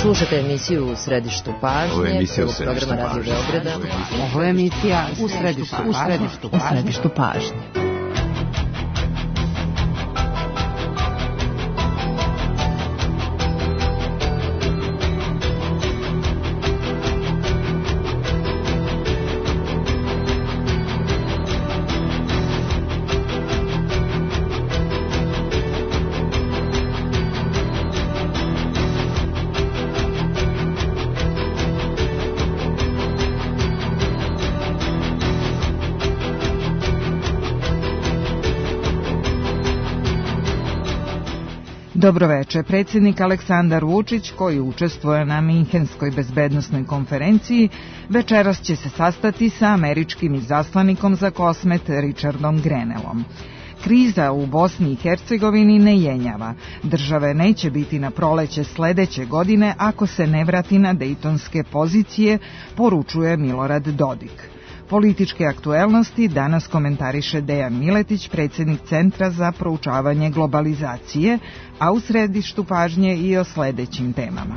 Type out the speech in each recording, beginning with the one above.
Slušajte emisiju U središtu pažnje, prvog programa Radio Beograda. Ovo je emisija U središtu pažnje. Dobroveče. Predsjednik Aleksandar Vučić, koji učestvuje na Minhenskoj bezbednosnoj konferenciji, večeras će se sastati sa američkim izaslanikom za Kosmet Richardom Grenellom. Kriza u Bosni i Hercegovini ne jenjava. Države neće biti na proleće sledeće godine ako se ne vrati na dejtonske pozicije, poručuje Milorad Dodik. Političke aktuelnosti danas komentariše Dejan Miletić, predsjednik Centra za proučavanje globalizacije, a u središtu pažnje i o sledećim temama.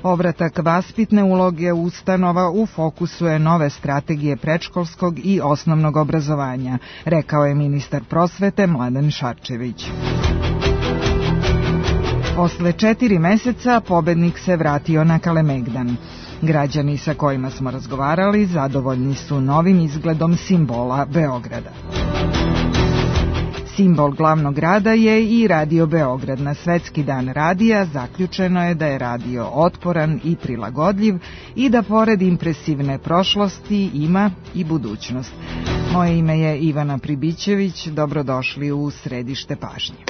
Povratak vaspitne uloge ustanova u fokusu je nove strategije predškolskog i osnovnog obrazovanja, rekao je ministar prosvete Mladen Šarčević. Posle 4 meseca pobednik se vratio na Kalemegdan. Građani sa kojima smo razgovarali zadovoljni su novim izgledom simbola Beograda. Simbol glavnog grada je i Radio Beograd. Na Svetski dan radija zaključeno je da je radio otporan i prilagodljiv i da pored impresivne prošlosti ima i budućnost. Moje ime je Ivana Pribićević, dobrodošli u središte pažnje.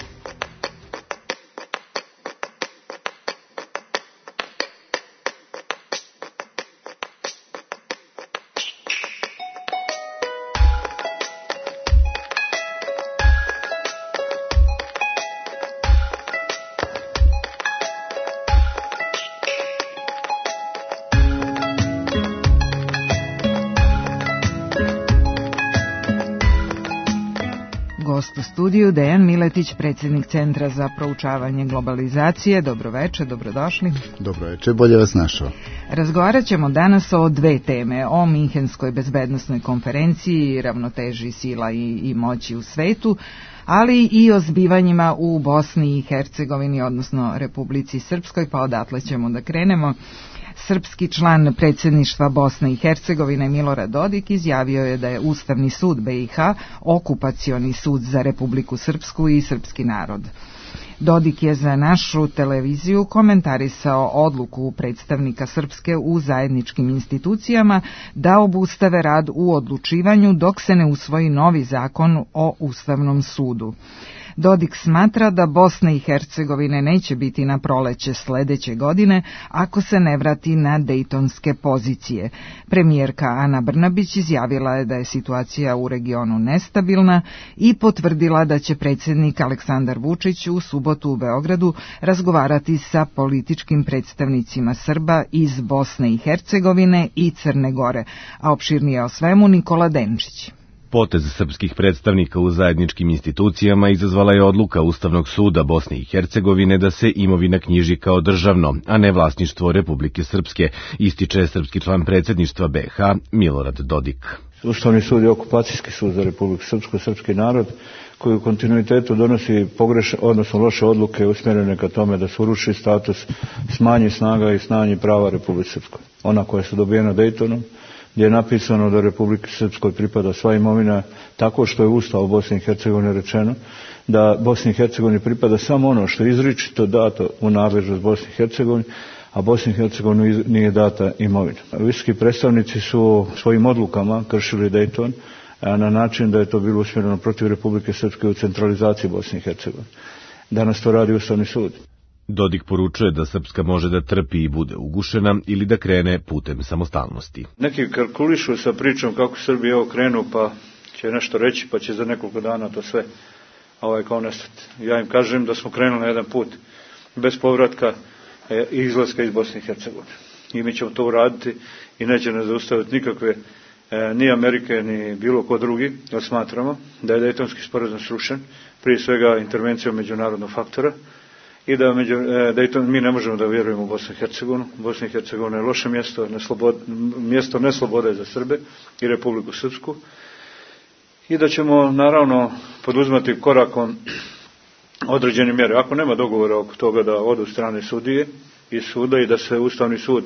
U studiju Dejan Miletić, predsjednik Centra za proučavanje globalizacije. Dobroveče, dobrodošli. Dobroveče, bolje vas našao. Razgovarat ćemo danas o dve teme, o Minhenskoj bezbednosnoj konferenciji, ravnoteži sila i moći u svetu, ali i o zbivanjima u Bosni i Hercegovini, odnosno Republici Srpskoj, pa odatle ćemo da krenemo. Srpski član predsjedništva Bosne i Hercegovine Milorad Dodik izjavio je da je Ustavni sud BiH okupacioni sud za Republiku Srpsku i srpski narod. Dodik je za našu televiziju komentarisao odluku predstavnika Srpske u zajedničkim institucijama da obustave rad u odlučivanju dok se ne usvoji novi zakon o Ustavnom sudu. Dodik smatra da Bosna i Hercegovine neće biti na proleće sledeće godine ako se ne vrati na dejtonske pozicije. Premijerka Ana Brnabić izjavila je da je situacija u regionu nestabilna i potvrdila da će predsjednik Aleksandar Vučić u subotu u Beogradu razgovarati sa političkim predstavnicima Srba iz Bosne i Hercegovine i Crne Gore, a opširnije o svemu Nikola Denčić. Potez srpskih predstavnika u zajedničkim institucijama izazvala je odluka Ustavnog suda Bosne i Hercegovine da se imovina knjiži kao državno, a ne vlasništvo Republike Srpske, ističe srpski član predsjedništva BiH Milorad Dodik. Ustavni sud je okupacijski sud za Republiku Srpsku, srpski narod, koji u kontinuitetu donosi odnosno loše odluke usmjerene ka tome da se uruši status, smanji snaga i smanji prava Republike Srpskoj. Ona koja su dobijena Dejtonom, gdje je napisano da Republike Srpskoj pripada sva imovina, tako što je Ustav Bosne i Hercegovine rečeno da Bosni i Hercegovini pripada samo ono što je izričito dato u nadležnost Bosne i Hercegovine, a Bosni i Hercegovini nije data imovina. Visoki predstavnici su svojim odlukama kršili Dejton na način da je to bilo usmjereno protiv Republike Srpske u centralizaciji Bosne i Hercegovine. Danas to radi Ustavni sud. Dodik poručuje da Srpska može da trpi i bude ugušena ili da krene putem samostalnosti. Neki kalkulišu sa pričom kako Srbija ovo krenu, pa će nešto reći, pa će za nekoliko dana to sve kao nestati. Ja im kažem da smo krenuli na jedan put bez povratka i izlaska iz Bosne i Hercegovine. I mi ćemo to uraditi i neće nas zaustaviti nikakve ni Amerike, ni bilo ko drugi, jer smatramo da je Dejtonski sporazum srušen, prije svega intervencijom međunarodnog faktora, i da mi ne možemo da vjerujemo u Bosnu i Hercegovinu. Bosna i Hercegovina je loše mjesto, mjesto neslobode za Srbe i Republiku Srpsku, i da ćemo naravno poduzmati korakom određene mjere. Ako nema dogovora oko toga da odu strane sudije i suda i da se Ustavni sud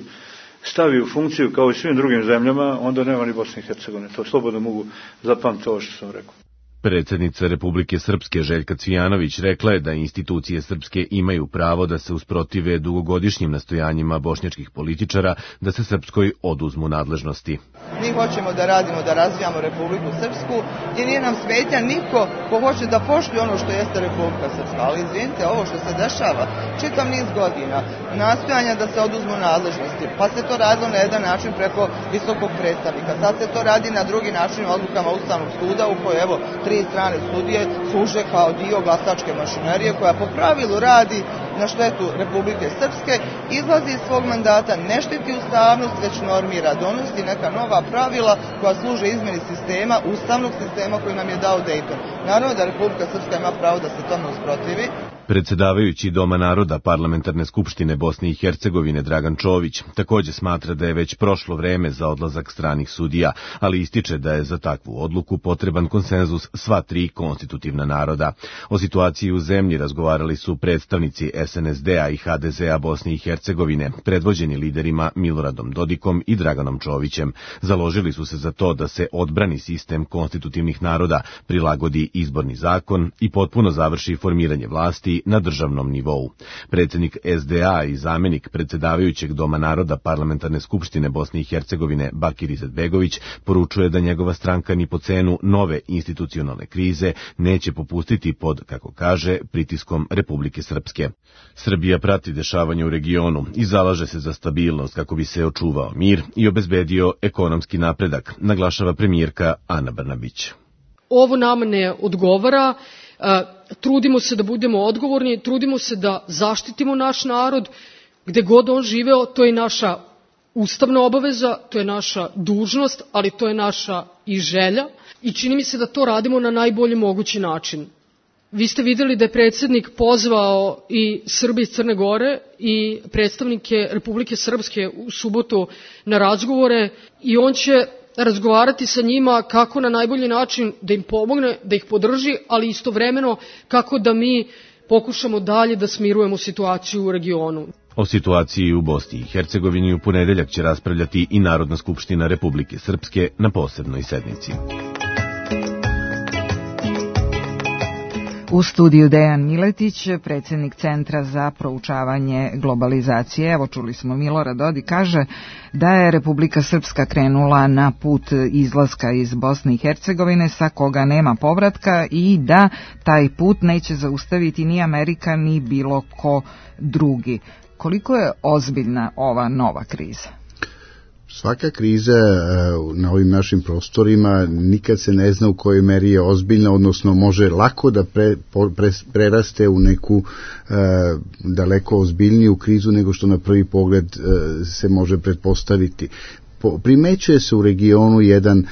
stavi u funkciju kao i svim drugim zemljama, onda nema ni Bosne i Hercegovine. To slobodno mogu zapamtiti ovo što sam rekao. Predsjednica Republike Srpske Željka Cvijanović rekla je da institucije srpske imaju pravo da se usprotive dugogodišnjim nastojanjima bošnjačkih političara da se Srpskoj oduzmu nadležnosti. Mi hoćemo da radimo, da razvijamo Republiku Srpsku i nije nam smetnja niko ko hoće da poštuje ono što jeste Republika Srpska. Ali izvinite, ovo što se dešava čitav niz godina, nastojanja da se oduzmu nadležnosti, pa se to radilo na jedan način preko visokog predstavnika, sad se to radi na drugi način odlukama Ustavnog suda u kojoj evo 3 strane sudije služe kao dio glasačke mašinerije koja po pravilu radi na štetu Republike Srpske, izlazi iz svog mandata, ne štiti ustavnost, već normira, donosi neka nova pravila koja služe izmjeni sistema, ustavnog sistema koji nam je dao Dejton. Naravno da Republika Srpska ima pravo da se tome usprotivi. Predsjedavajući Doma naroda Parlamentarne skupštine Bosne i Hercegovine Dragan Čović također smatra da je već prošlo vreme za odlazak stranih sudija, ali ističe da je za takvu odluku potreban konsenzus sva 3 konstitutivna naroda. O situaciji u zemlji razgovarali su predstavnici SNSD-a i HDZ-a Bosne i Hercegovine, predvođeni liderima Miloradom Dodikom i Draganom Čovićem. Založili su se za to da se odbrani sistem konstitutivnih naroda, prilagodi izborni zakon i potpuno završi formiranje vlasti na državnom nivou. Predsjednik SDA i zamjenik predsjedavajućeg Doma naroda Parlamentarne skupštine Bosne i Hercegovine Bakir Izetbegović poručuje da njegova stranka ni po cenu nove institucionalne krize neće popustiti pod, kako kaže, pritiskom Republike Srpske. Srbija prati dešavanja u regionu i zalaže se za stabilnost kako bi se očuvao mir i obezbedio ekonomski napredak, naglašava premijerka Ana Brnabić. Ovo nama ne odgovara. Trudimo se da budemo odgovorni, trudimo se da zaštitimo naš narod, gde god on živeo, to je naša ustavna obaveza, to je naša dužnost, ali to je naša i želja i čini mi se da to radimo na najbolji mogući način. Vi ste vidjeli da je predsjednik pozvao i Srbe iz Crne Gore i predstavnike Republike Srpske u subotu na razgovore i on će razgovarati sa njima kako na najbolji način da im pomogne, da ih podrži, ali istovremeno kako da mi pokušamo dalje da smirujemo situaciju u regionu. O situaciji u Bosni i Hercegovini u ponedeljak će raspravljati i Narodna skupština Republike Srpske na posebnoj sednici. U studiju Dejan Miletić, predsjednik Centra za proučavanje globalizacije. Evo, čuli smo, Milorad Dodik kaže da je Republika Srpska krenula na put izlaska iz Bosne i Hercegovine sa koga nema povratka i da taj put neće zaustaviti ni Amerika ni bilo ko drugi. Koliko je ozbiljna ova nova kriza? Svaka kriza na ovim našim prostorima nikad se ne zna u kojoj meri je ozbiljna, odnosno može lako da preraste u neku daleko ozbiljniju krizu nego što na prvi pogled se može pretpostaviti. Primećuje se u regionu jedan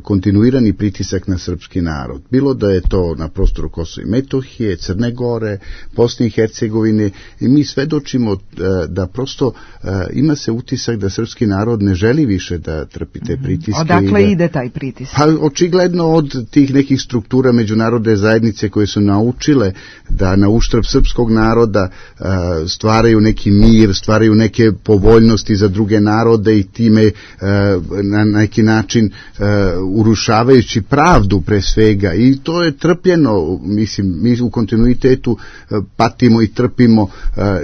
kontinuirani pritisak na srpski narod. Bilo da je to na prostoru Kosova i Metohije, Crne Gore, Bosne i Hercegovine, i mi svedočimo da prosto ima se utisak da srpski narod ne želi više da trpi te pritiske. Odakle ide taj pritisak? Pa očigledno od tih nekih struktura međunarodne zajednice koje su naučile da na uštrb srpskog naroda stvaraju neki mir, stvaraju neke povoljnosti za druge narode i time na neki način urušavajući pravdu pre svega, i to je trpljeno. Mislim, mi u kontinuitetu patimo i trpimo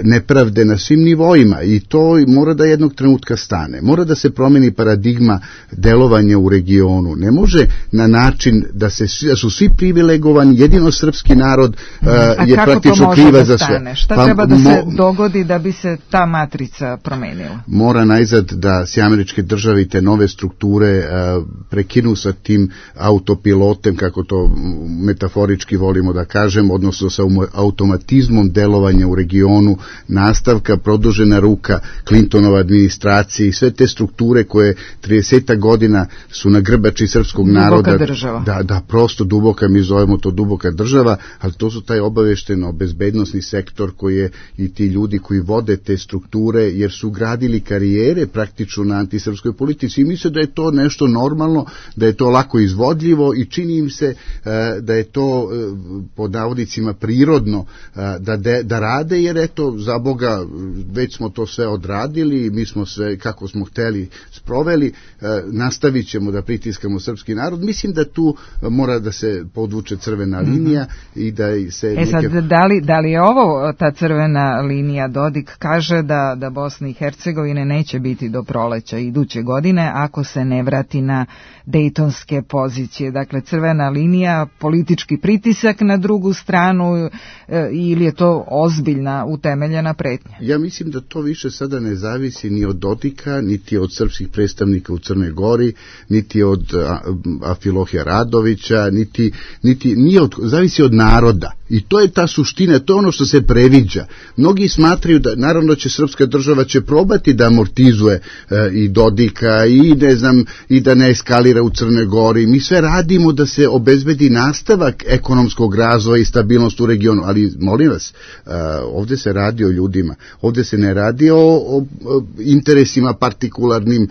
nepravde na svim nivoima i to mora da jednog trenutka stane. Mora da se promeni paradigma delovanja u regionu. Ne može na način da su svi privilegovani, jedino srpski narod je praktično kriva za sve. Šta treba da se dogodi da bi se ta matrica promenila? Mora najzad da SAD Američke Države i te nove strukture prekinu sa tim autopilotem, kako to metaforički volimo da kažemo, odnosno sa automatizmom delovanja u regionu, nastavka, produžena ruka Clintonova administracije i sve te strukture koje 30 godina su na grbači srpskog naroda. Duboka država. Da, prosto duboka, mi zovemo to duboka država, ali to su taj obavešteno bezbednosni sektor koji je i ti ljudi koji vode te strukture, jer su gradili karijere praktično na antisrpskoj politici i misle da je to nešto normalno, da je to lako izvodljivo i čini im se da je to pod navodnicima prirodno da rade, jer eto, za Boga, već smo to sve odradili, mi smo sve kako smo hteli sproveli, nastavit ćemo da pritiskamo srpski narod. Mislim da tu mora da se podvuče crvena linija i da se... Sad, da li je ovo ta crvena linija? Dodik kaže da Bosna i Hercegovine neće biti do proleća iduće godine ako se ne vrati na dejtonske pozicije. Dakle, crvena linija, politički pritisak na drugu stranu ili je to ozbiljna, utemeljena pretnja? Ja mislim da to više sada ne zavisi ni od Dodika, niti od srpskih predstavnika u Crnoj Gori, niti od Afilohija Radovića, zavisi od naroda. I to je ta suština, to je ono što se previđa. Mnogi smatraju da, naravno, će srpska država će probati da amortizuje i Dodika i da ne eskalira u Crnoj Gori. Mi sve radimo da se obezbedi nastavak ekonomskog razvoja i stabilnost u regionu, ali molim vas, ovdje se radi o ljudima, ovdje se ne radi o interesima partikularnim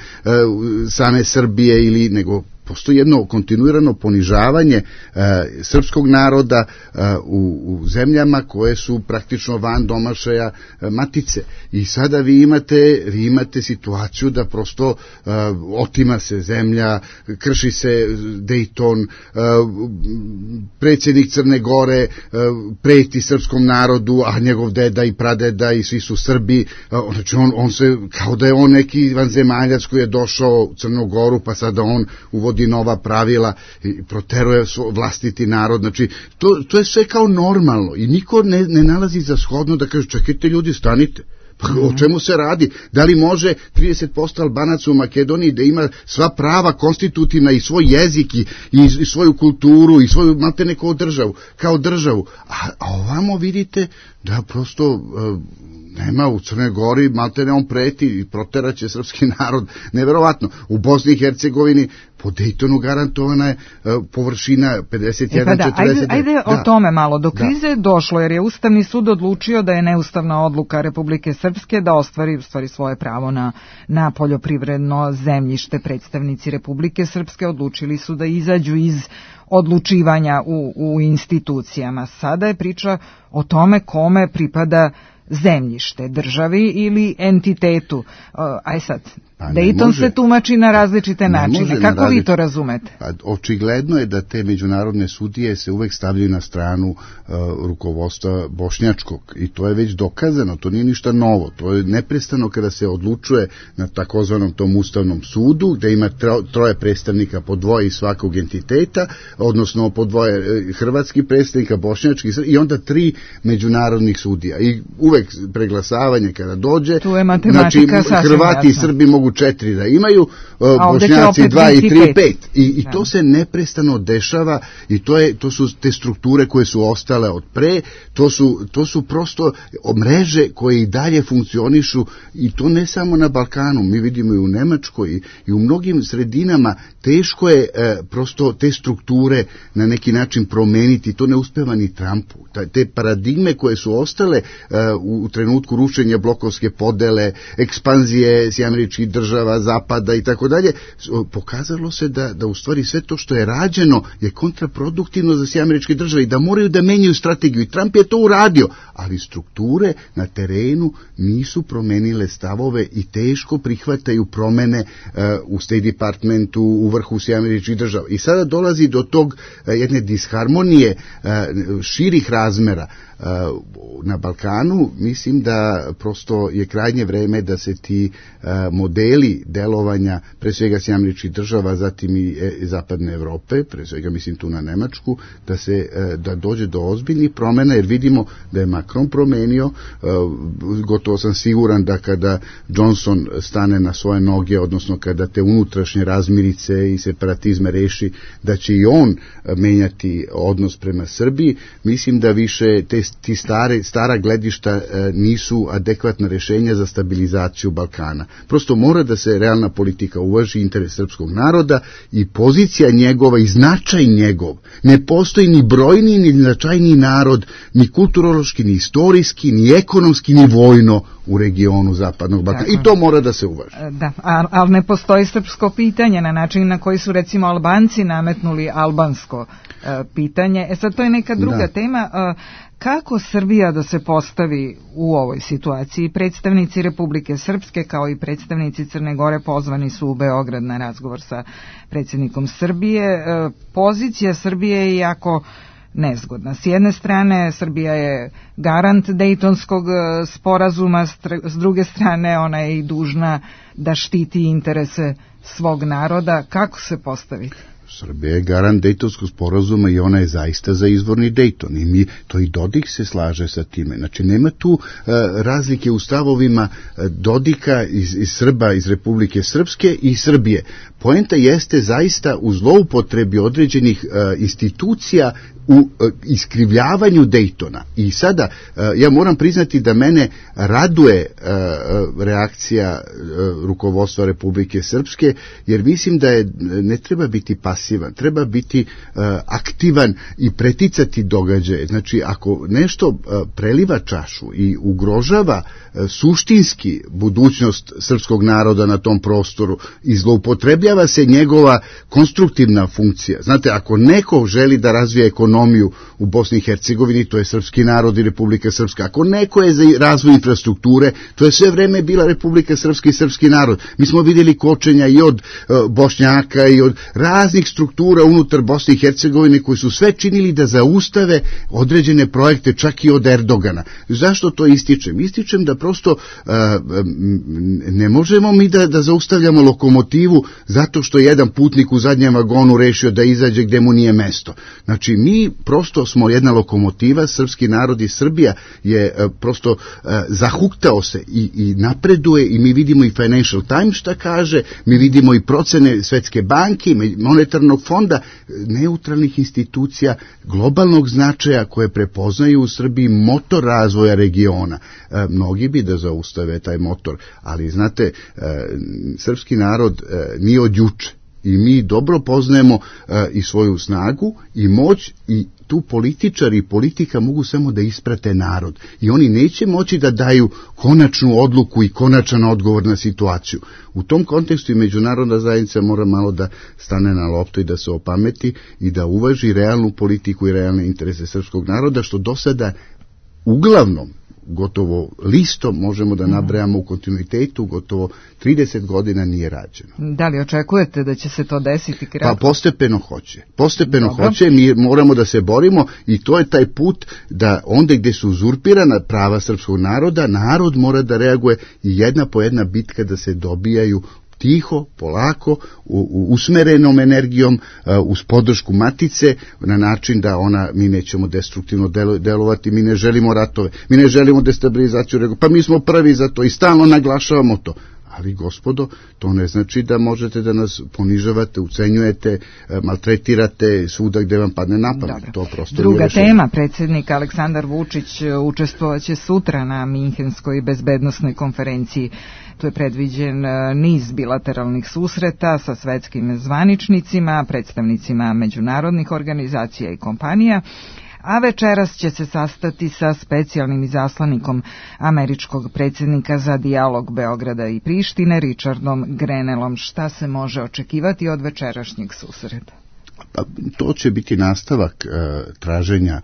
same Srbije nego postoji jedno kontinuirano ponižavanje srpskog naroda u zemljama koje su praktično van domašaja matice. I sada vi imate situaciju da prosto otima se zemlja, krši se Dejton, predsjednik Crne Gore preti srpskom narodu, a njegov deda i pradeda i svi su Srbi. Znači on se, kao da je on neki vanzemaljac koji je došao u Crnu Goru, pa sada on uvodi nova pravila i proteruje vlastiti narod. Znači, to je sve kao normalno i niko ne nalazi za shodno da kaže, čekajte ljudi, stanite. O čemu se radi? Da li može 30% Albanaca u Makedoniji da ima sva prava konstitutivna i svoj jezik i svoju kulturu i svoju maltene kao državu? A ovamo vidite da prosto nema u Crnoj Gori, maltene on preti i proteraće srpski narod. Neverovatno. U Bosni i Hercegovini po Dejtonu garantovana je površina 51-40. Ajde o tome malo. Do krize je došlo jer je Ustavni sud odlučio da je neustavna odluka Republike Srpske da ostvari svoje pravo na poljoprivredno zemljište. Predstavnici Republike Srpske odlučili su da izađu iz odlučivanja u institucijama. Sada je priča o tome kome pripada zemljište, državi ili entitetu. Aj sad, Dejton se tumači na različite načine. Kako vi to razumete? Očigledno je da te međunarodne sudije se uvek stavljaju na stranu rukovodstva bošnjačkog i to je već dokazano, to nije ništa novo. To je neprestano kada se odlučuje na takozvanom tom ustavnom sudu, gde ima troje predstavnika po dvoje iz svakog entiteta, odnosno po dvoje hrvatskih predstavnika, bošnjačkih i onda 3 međunarodnih sudija. I uvek preglasavanje kada dođe, znači Hrvati i Srbi mogu 4 da imaju, Bošnjaci 2 i 3, 5. I to se neprestano dešava i to su te strukture koje su ostale od pre, to su prosto mreže koje i dalje funkcionišu i to ne samo na Balkanu, mi vidimo i u Nemačkoj i u mnogim sredinama teško je prosto te strukture na neki način promeniti, to ne uspeva ni Trumpu. Te paradigme koje su ostale u trenutku rušenja blokovske podele, ekspanzije Američkih država, Zapada i tako dalje, pokazalo se da u stvari sve to što je rađeno je kontraproduktivno za Američke države i da moraju da menjaju strategiju. I Trump je to uradio, ali strukture na terenu nisu promenile stavove i teško prihvataju promene u State Departmentu, u vrhu Američkih država. I sada dolazi do tog jedne disharmonije širih razmera. na Balkanu, mislim da prosto je krajnje vreme da se ti modeli delovanja, pre svega Sjedinjenih Američkih Država, zatim i Zapadne Evrope, pre svega mislim tu na Nemačku, da dođe do ozbiljnih promjena, jer vidimo da je Macron promenio, gotovo sam siguran da kada Johnson stane na svoje noge, odnosno kada te unutrašnje razmirice i separatizme reši, da će i on menjati odnos prema Srbiji. Mislim da više ti stara gledišta nisu adekvatna rešenja za stabilizaciju Balkana. Prosto mora da se realna politika uvaži, interes srpskog naroda i pozicija njegova i značaj njegov. Ne postoji ni brojni, ni značajniji narod, ni kulturološki, ni istorijski, ni ekonomski, ni vojno u regionu Zapadnog Balkana. I to mora da se uvaži. Da, ali ne postoji srpsko pitanje na način na koji su recimo Albanci nametnuli albansko pitanje. Sad to je neka druga tema. Kako Srbija da se postavi u ovoj situaciji? Predstavnici Republike Srpske kao i predstavnici Crne Gore pozvani su u Beograd na razgovor sa predsjednikom Srbije. Pozicija Srbije je jako nezgodna. S jedne strane Srbija je garant Dejtonskog sporazuma, s druge strane ona je i dužna da štiti interese svog naroda. Kako se postaviti? Srbija je garant Dejtonskog sporazuma i ona je zaista za izvorni Dejton i to i Dodik se slaže sa time. Znači nema tu razlike u stavovima Dodika iz Srba, iz Republike Srpske i Srbije. Poenta jeste zaista u zloupotrebi određenih institucija u iskrivljavanju Dejtona. I sada ja moram priznati da mene raduje reakcija rukovodstva Republike Srpske, jer mislim da ne treba biti pasivan, treba biti aktivan i preticati događaje. Znači, ako nešto preliva čašu i ugrožava suštinski budućnost srpskog naroda na tom prostoru i zloupotrebljava se njegova konstruktivna funkcija. Znate, ako neko želi da razvija ekonomiju u Bosni i Hercegovini, to je srpski narod i Republika Srpska. Ako neko je za razvoj infrastrukture, to je sve vreme bila Republika Srpska i srpski narod. Mi smo vidjeli kočenja i od Bošnjaka i od raznih struktura unutar Bosne i Hercegovine koji su sve činili da zaustave određene projekte, čak i od Erdogana. Zašto to ističem? Ističem da prosto ne možemo mi da zaustavljamo lokomotivu zato što jedan putnik u zadnjem vagonu rešio da izađe gde mu nije mesto. Znači, mi prosto smo jedna lokomotiva, srpski narod i Srbija je prosto zahuktao se i napreduje i mi vidimo i Financial Times šta kaže, mi vidimo i procene Svetske banke, monetarnog fonda, neutralnih institucija, globalnog značaja koje prepoznaju u Srbiji motor razvoja regiona. Mnogi bi da zaustave taj motor, ali znate, srpski narod nije od juče. I mi dobro poznajemo i svoju snagu i moć i tu političari i politika mogu samo da isprate narod i oni neće moći da daju konačnu odluku i konačan odgovor na situaciju. U tom kontekstu i međunarodna zajednica mora malo da stane na loptu i da se opameti i da uvaži realnu politiku i realne interese srpskog naroda, što do sada uglavnom gotovo listom možemo da nabrajamo u kontinuitetu, gotovo 30 godina nije rađeno. Da li očekujete da će se to desiti kratko? Pa postepeno hoće. Postepeno hoće, mi moramo da se borimo i to je taj put da onda gde su uzurpirana prava srpskog naroda, narod mora da reaguje i jedna po jedna bitka da se dobijaju tiho, polako, usmerenom energijom, uz podršku matice, na način da mi nećemo destruktivno delovati, mi ne želimo ratove, mi ne želimo destabilizaciju, pa mi smo prvi za to i stalno naglašavamo to. Ali, gospodo, to ne znači da možete da nas ponižavate, ucenjujete, maltretirate svuda gde vam padne na pamet. To prosto druga tema, predsjednik Aleksandar Vučić učestvovaće sutra na Minhenskoj bezbednosnoj konferenciji. Tu je predviđen niz bilateralnih susreta sa svetskim zvaničnicima, predstavnicima međunarodnih organizacija i kompanija, a večeras će se sastati sa specijalnim izaslanikom američkog predsjednika za dijalog Beograda i Prištine, Richardom Grenellom. Šta se može očekivati od večerašnjeg susreta? To će biti nastavak traženja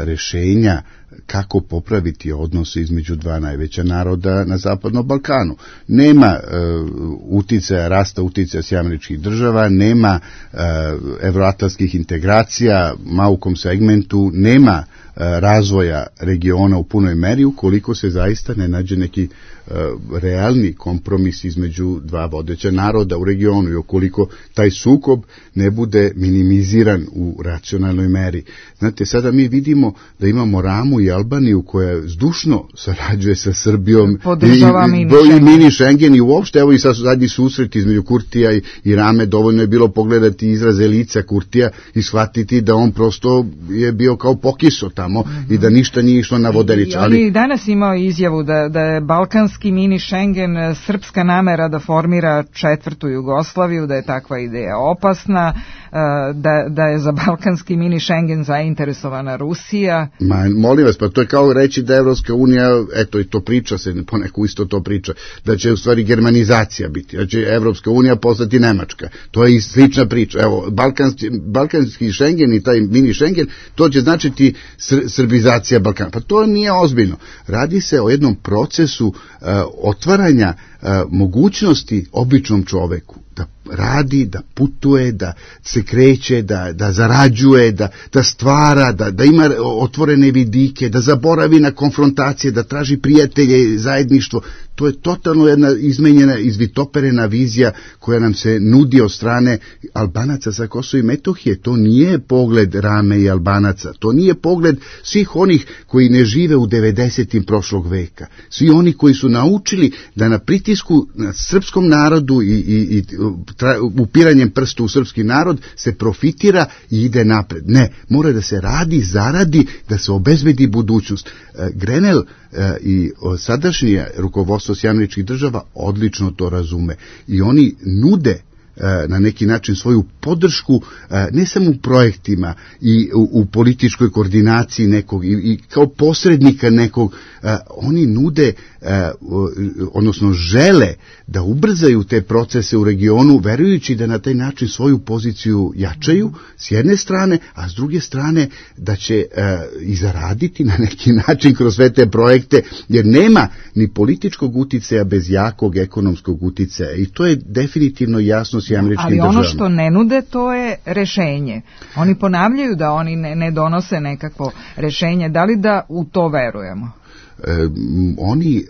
rešenja kako popraviti odnose između dva najveća naroda na Zapadnom Balkanu. Nema rasta uticaja Sjedinjenih Američkih Država, nema evroatlantskih integracija, ma u kom segmentu, nema razvoja regiona u punoj meri ukoliko se zaista ne nađe neki realni kompromis između dva vodeća naroda u regionu i ukoliko taj sukob ne bude minimiziran u racionalnoj meri. Znate, sada mi vidimo da imamo Ramu i Albaniju koja zdušno sarađuje sa Srbijom i mini Schengen i uopšte, evo i sad zadnji susret između Kurtija i Rame, dovoljno je bilo pogledati izraze lica Kurtija i shvatiti da on prosto je bio kao pokiso tamo i da ništa nije išlo na vodenicu. Ali danas imao izjavu da je balkanski mini Schengen srpska namera da formira četvrtu Jugoslaviju, da je takva ideja opasna, da je za balkanski mini Schengen zainteresovana Rusija. Molim vas, pa to je kao reći da Evropska unija, eto i to priča se, poneku isto to priča, da će u stvari germanizacija biti, da će Evropska unija postati Nemačka. To je i slična priča. Evo, balkanski Schengen i taj mini Schengen, to će značiti srbizacija Balkana. Pa to nije ozbiljno. Radi se o jednom procesu otvaranja mogućnosti običnom čoveku da radi, da putuje, da se kreće, da zarađuje, da stvara, da ima otvorene vidike, da zaboravi na konfrontacije, da traži prijatelje, zajedništvo. To je totalno jedna izmenjena, izvitoperena vizija koja nam se nudi od strane Albanaca sa Kosova i Metohije. To nije pogled Rame i Albanaca, to nije pogled svih onih koji ne žive u 90. prošlog veka. Svi oni koji su naučili da na pritisku na srpskom narodu i upiranjem prstu u srpski narod se profitira i ide napred. Ne, mora da se radi, zaradi, da se obezbedi budućnost. Grenell i sadašnje rukovodstvo Sjedinjenih Država odlično to razume i oni nude na neki način svoju podršku ne samo u projektima i u političkoj koordinaciji nekog i kao posrednika nekog, oni nude, odnosno žele da ubrzaju te procese u regionu, verujući da na taj način svoju poziciju jačaju s jedne strane, a s druge strane da će i zaraditi na neki način kroz sve te projekte, jer nema ni političkog uticaja bez jakog ekonomskog uticaja i to je definitivno jasno s američkim državama. Ali ono što ne nude, to je rešenje. Oni ponavljaju da oni ne donose nekakvo rešenje. Da li da u to verujemo? Oni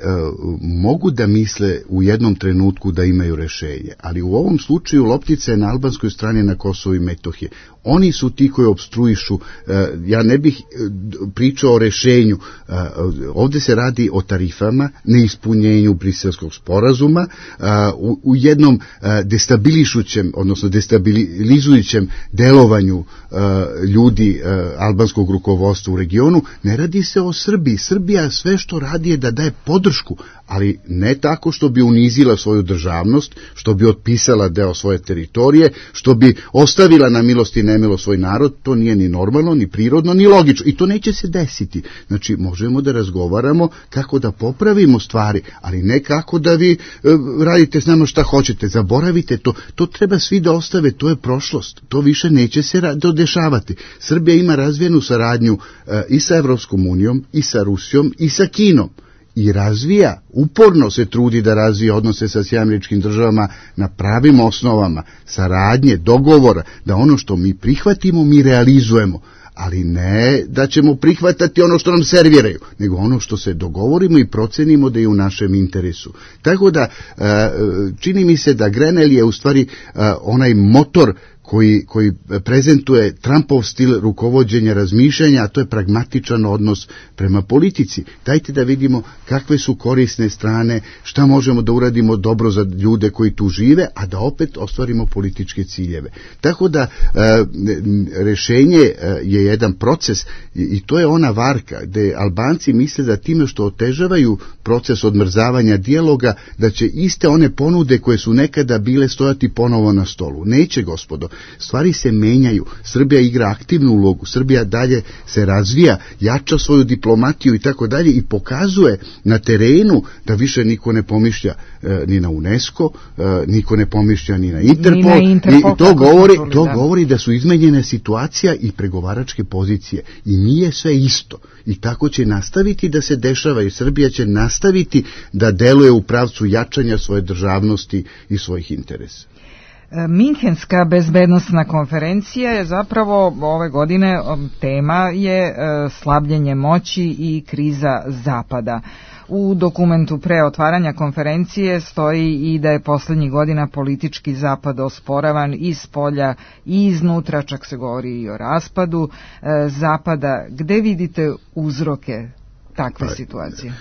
mogu da misle u jednom trenutku da imaju rešenje, ali u ovom slučaju loptica je na albanskoj strani na Kosovu i Metohiji. Oni su ti koji opstruišu, ja ne bih pričao o rešenju, ovdje se radi o tarifama, neispunjenju Briselskog sporazuma, u jednom destabilišućem, odnosno destabilizujućem delovanju ljudi albanskog rukovodstva u regionu. Ne radi se o Srbiji. Srbija sve što radi je da daje podršku, ali ne tako što bi unizila svoju državnost, što bi otpisala deo svoje teritorije, što bi ostavila na milost i nemilost svoj narod. To nije ni normalno, ni prirodno, ni logično i to neće se desiti. Znači, možemo da razgovaramo kako da popravimo stvari, ali ne kako da vi radite s nama šta hoćete, zaboravite to. To treba svi da ostave, to je prošlost, to više neće se dešavati. Srbija ima razvijenu saradnju i sa Evropskom unijom, i sa Rusijom, i sa Kinom. I razvija, uporno se trudi da razvija odnose sa Sjedinjenim Državama na pravim osnovama, saradnje, dogovora, da ono što mi prihvatimo, mi realizujemo, ali ne da ćemo prihvatati ono što nam serviraju, nego ono što se dogovorimo i procenimo da je u našem interesu. Tako da, čini mi se da Grenell je u stvari onaj motor koji prezentuje Trumpov stil rukovođenja razmišljanja, a to je pragmatičan odnos prema politici. Dajte da vidimo kakve su korisne strane, šta možemo da uradimo dobro za ljude koji tu žive, a da opet ostvarimo političke ciljeve. Tako da rešenje je jedan proces i to je ona varka gde Albanci misle da time što otežavaju proces odmrzavanja dijaloga, da će iste one ponude koje su nekada bile stojati ponovo na stolu. Neće, gospodo. Stvari se menjaju, Srbija igra aktivnu ulogu, Srbija dalje se razvija, jača svoju diplomatiju i tako dalje i pokazuje na terenu da više niko ne pomišlja ni na UNESCO, niko ne pomišlja ni na Interpol, i to govori da su izmenjene situacija i pregovaračke pozicije i nije sve isto i tako će nastaviti da se dešava i Srbija će nastaviti da deluje u pravcu jačanja svoje državnosti i svojih interesa. Minhenska bezbednosna konferencija je zapravo ove godine tema je slabljenje moći i kriza Zapada. U dokumentu pre otvaranja konferencije stoji i da je poslednjih godina politički Zapad osporavan iz polja i iznutra, čak se govori i o raspadu Zapada. Gde vidite uzroke takve situacije?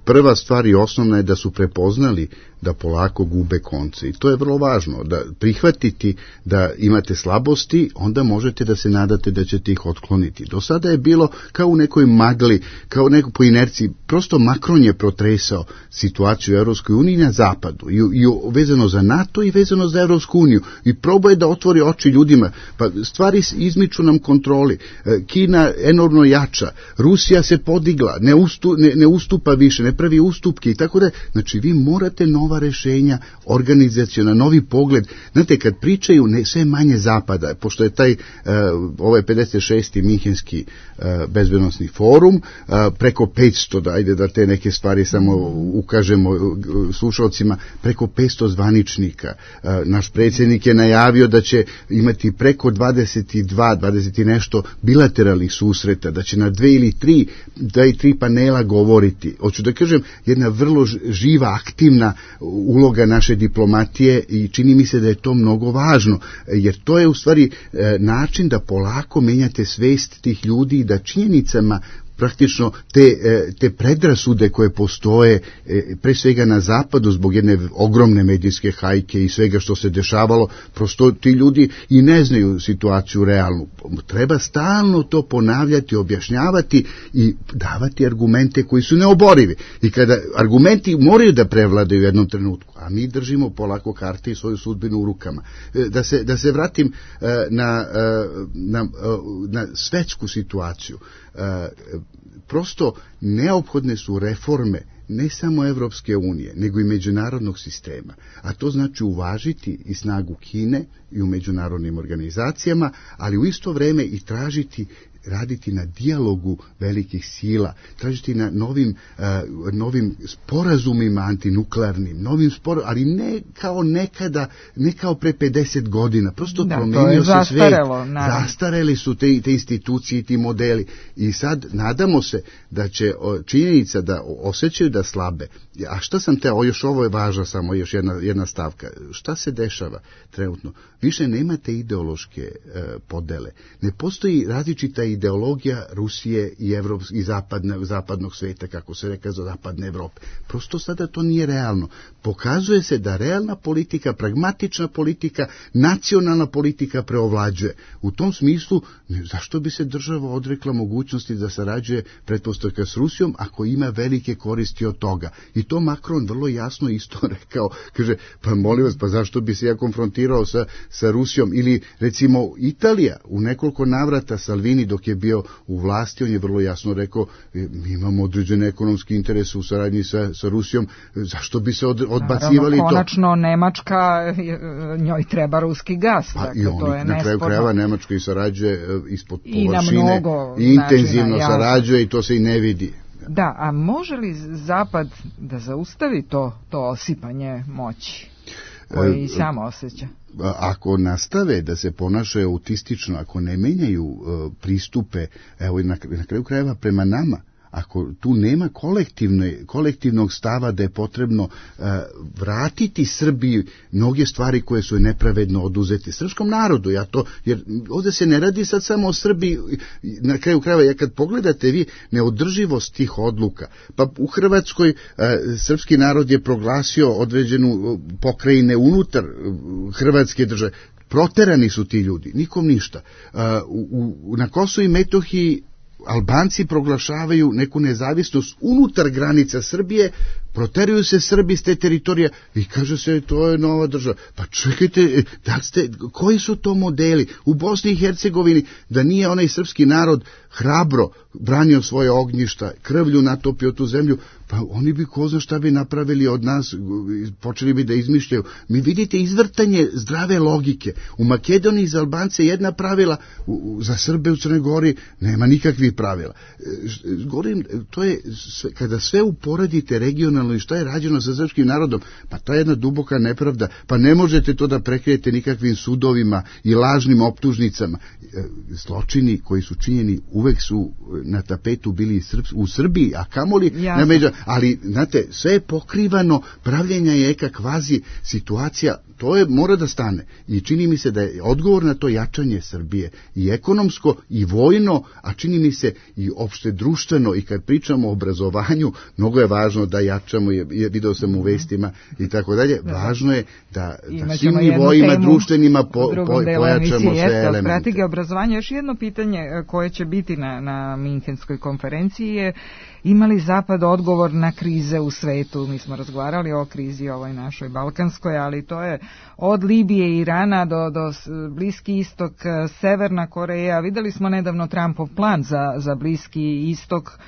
Prva stvar i osnovna je da su prepoznali da polako gube konce i to je vrlo važno, da prihvatiti da imate slabosti, onda možete da se nadate da ćete ih otkloniti. Do sada je bilo kao u nekoj magli, kao neko po inerciji, prosto Macron je protresao situaciju u Evropskoj uniji na zapadu i vezano za NATO i vezano za Evropsku uniju i probao je da otvori oči ljudima, pa stvari izmiču nam kontroli, Kina enormno jača, Rusija se podigla, ne ustupa više, ne pravi ustupke i tako da, znači vi morate nova rešenja, organizaciona, novi pogled. Znate, kad pričaju sve manje zapada, pošto je ovaj 56. Minhenski bezbednosni forum, preko 500, ajde da te neke stvari samo ukažemo slušalcima, preko 500 zvaničnika. Naš predsjednik je najavio da će imati preko 20 i nešto bilateralnih susreta, da će na 2 ili 3 panela govoriti. Hoću da kažem, jedna vrlo živa, aktivna uloga naše diplomatije i čini mi se da je to mnogo važno, jer to je u stvari način da polako menjate svest tih ljudi i da činjenicama praktično te predrasude koje postoje pre svega na zapadu zbog jedne ogromne medijske hajke i svega što se dešavalo, prosto ti ljudi i ne znaju situaciju realnu. Treba stalno to ponavljati, objašnjavati i davati argumente koji su neoborivi. I kada argumenti moraju da prevladaju u jednom trenutku, a mi držimo polako karte i svoju sudbinu u rukama. Da se vratim na svetsku situaciju. Prosto neophodne su reforme ne samo Evropske unije, nego i međunarodnog sistema. A to znači uvažiti i snagu Kine i u međunarodnim organizacijama, ali u isto vreme i raditi na dijalogu velikih sila, tražiti na novim sporazumima antinuklearnim, ali ne kao nekada, ne kao pre 50 godina, prosto promenio se svet, zastareli su te institucije i ti modeli i sad nadamo se da će činjenica da osjećaju da slabe. A šta sam teo, još ovo je važno, samo još jedna stavka, šta se dešava trenutno? Više nemate ideološke podele, ne postoji različita ideologija Rusije i zapadnog sveta, kako se reka za zapadne Evrope. Prosto sada to nije realno. Pokazuje se da realna politika, pragmatična politika, nacionalna politika preovlađuje. U tom smislu, zašto bi se država odrekla mogućnosti da sarađuje pretpostavka s Rusijom ako ima velike koristi od toga? I to Macron vrlo jasno isto rekao. Kaže, pa molim vas, pa zašto bi se ja konfrontirao sa Rusijom? Ili recimo Italija, u nekoliko navrata Salvini dok je bio u vlasti, on je vrlo jasno rekao, mi imamo određene ekonomske interese u saradnji sa Rusijom, zašto bi se odbacivali to? Konačno Nemačka, njoj treba ruski gas. Pa i oni na kraju krajeva Nemačka i sarađuje ispod površine i intenzivno sarađuje i to se i ne vidi. Da, a može li Zapad da zaustavi to osipanje moći koji sam osjeća? Ako nastave da se ponašaju autistično, ako ne menjaju pristupe, evo i na kraju krajeva prema nama, ako tu nema kolektivnog stava da je potrebno vratiti Srbiji mnoge stvari koje su nepravedno oduzeti srpskom narodu, jer ovdje se ne radi sad samo o Srbiji, na kraju krajeva, kad pogledate vi neodrživost tih odluka, pa u Hrvatskoj srpski narod je proglasio određenu pokrajine unutar Hrvatske države, proterani su ti ljudi, nikom ništa. Na Kosovu i Metohiji Albanci proglašavaju neku nezavisnost unutar granica Srbije, proteruju se Srbi s te teritorije i kaže se to je nova država. Pa čekajte, koji su to modeli? U Bosni i Hercegovini da nije onaj srpski narod hrabro branio svoje ognjišta, krvlju natopio tu zemlju, pa oni bi ko zna šta bi napravili od nas, počeli bi da izmišljaju. Mi vidite izvrtanje zdrave logike. U Makedoniji za Albance jedna pravila, za Srbe u Crnoj Gori nema nikakvih pravila. Govorim, to je, kada sve uporedite regionalno nacionalno i šta je rađeno sa srpskim narodom, pa to je jedna duboka nepravda, pa ne možete to da prekrijete nikakvim sudovima i lažnim optužnicama. Zločini koji su činjeni uvek su na tapetu bili u Srbiji, a kamoli na međa, ali znate, sve je pokrivano, pravljenja je eka kvazi situacija, to je mora da stane i čini mi se da je odgovor na to jačanje Srbije i ekonomsko i vojno, a čini mi se i opšte društveno, i kad pričamo o obrazovanju, mnogo je važno da jačamo, video sam u vestima i tako dalje, važno je da svim nivoima društvenima pojačamo sve elemente. Strategija obrazovanja, još jedno pitanje koje će biti na Minhenskoj konferenciji je: ima li Zapad odgovor na krize u svetu? Mi smo razgovarali o krizi ovoj našoj balkanskoj, ali to je od Libije i Irana do Bliski istok, Severna Koreja. Videli smo nedavno Trumpov plan za Bliski istok,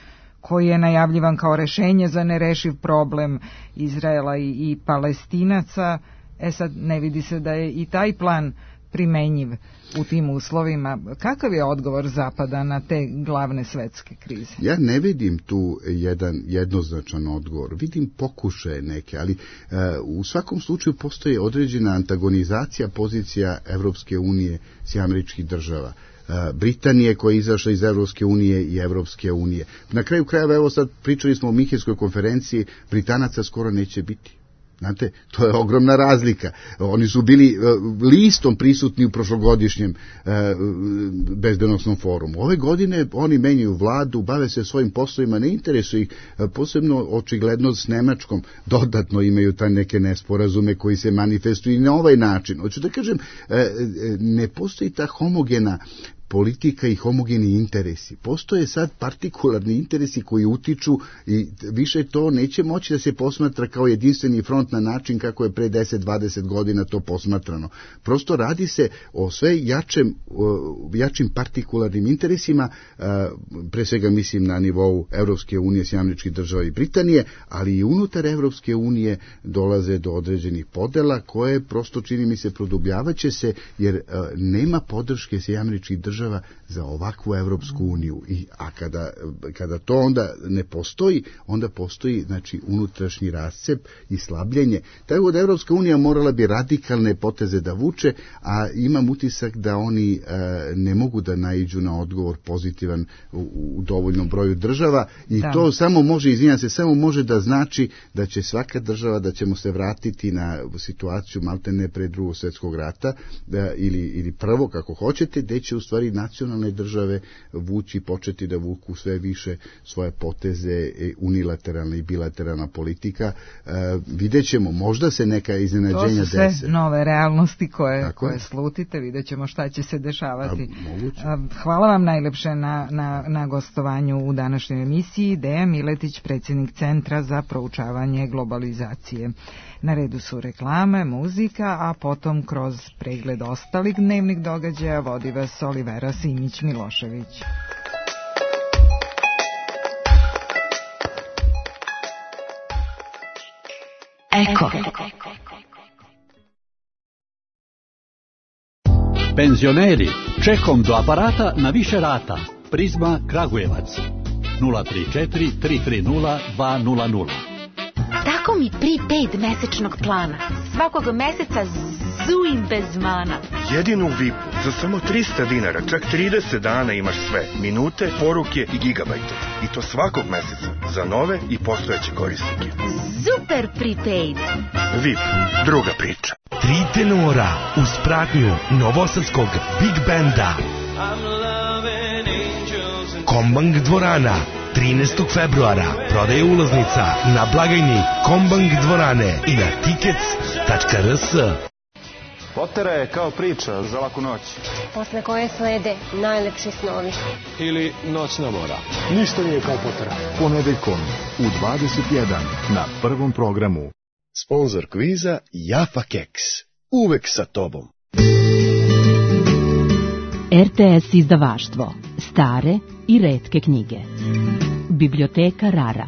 koji je najavljivan kao rešenje za nerešiv problem Izraela i Palestinaca. Sad ne vidi se da je i taj plan primenjiv u tim uslovima. Kakav je odgovor Zapada na te glavne svetske krize? Ja ne vidim tu jednoznačan odgovor. Vidim pokušaje neke, ali u svakom slučaju postoji određena antagonizacija pozicija Evropske unije s američkih država. Britanije koja je izašla iz Evropske unije i Evropske unije. Na kraju krajeva, evo sad pričali smo o Minhenskoj konferenciji, Britanaca skoro neće biti. Znate, to je ogromna razlika. Oni su bili listom prisutni u prošlogodišnjem bezbednosnom forumu. Ove godine oni menjaju vladu, bave se svojim poslovima, ne interesuje ih, posebno očigledno s Nemačkom, dodatno imaju ta neke nesporazume koji se manifestuju i na ovaj način. Hoću da kažem, ne postoji ta homogena politika i homogeni interesi. Postoje sad partikularni interesi koji utiču i više to neće moći da se posmatra kao jedinstveni front na način kako je pre 10-20 godina to posmatrano. Prosto radi se o sve jačim partikularnim interesima, pre svega mislim na nivou Evropske unije, Američkih država i Britanije, ali i unutar Evropske unije dolaze do određenih podela koje prosto, čini mi se, produbljavaće se, jer nema podrške Američkih država za ovakvu Evropsku uniju. A kada to onda ne postoji, onda postoji, znači, unutrašnji rascep i slabljenje. Tako da Evropska unija morala bi radikalne poteze da vuče, a imam utisak da oni ne mogu da naiđu na odgovor pozitivan u dovoljnom broju država i to samo može, samo može da znači da će svaka država, da ćemo se vratiti na situaciju maltene pre Drugog svjetskog rata ili prvo, kako hoćete, gde će u stvari nacionalne države početi da vuku sve više svoje poteze, unilateralna i bilateralna politika. Vidjet ćemo, možda se neka iznenađenja dese. To su sve nove realnosti koje slutite, vidjet ćemo šta će se dešavati. Hvala vam najlepše na gostovanju u današnjoj emisiji. Dejan Miletić, predsjednik Centra za proučavanje globalizacije. Na redu su reklame, muzika, a potom kroz pregled ostalih dnevnih događaja vodi vas Olivera Simić-Milošević. Eko. Penzioneri, čekom do aparata na više rata. Prizma Kragujevac 034 330 200. Tako mi prepaid mesečnog plana. Svakog meseca zujim bez mana. Jedinu vipu za samo 300 dinara, čak 30 dana imaš sve. Minute, poruke i gigabajte. I to svakog meseca za nove i postojeće korisnike. Super prepaid. VIP, druga priča. 3 tenora uz pratnju novosadskog Big Banda. Kombang dvorana 13. februara prodaje ulaznica na blagajni Kombang dvorane i na tickets.rs. Potera je kao priča za laku noć. Posle koje slede najlepši snovi. Ili noćna mora. Ništa nije kao Potera. Ponedeljkom u 21 na Prvom programu. Sponzor kviza Jaffa Keks. Uvek sa tobom. RTS izdavaštvo. Stare i retke knjige. Biblioteka Rara.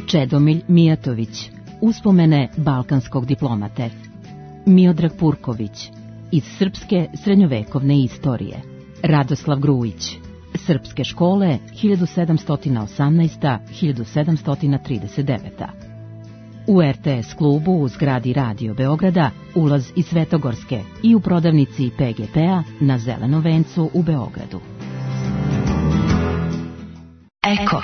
Čedomilj Mijatović. Uspomene balkanskog diplomate. Miodrag Purković. Iz srpske srednjovekovne istorije. Radoslav Grujić. Srpske škole 1718-1739. U RTS klubu u zgradi Radio Beograda ulaz iz Svetogorske i u prodavnici PGP-a na Zelenom vencu u Beogradu. Eko.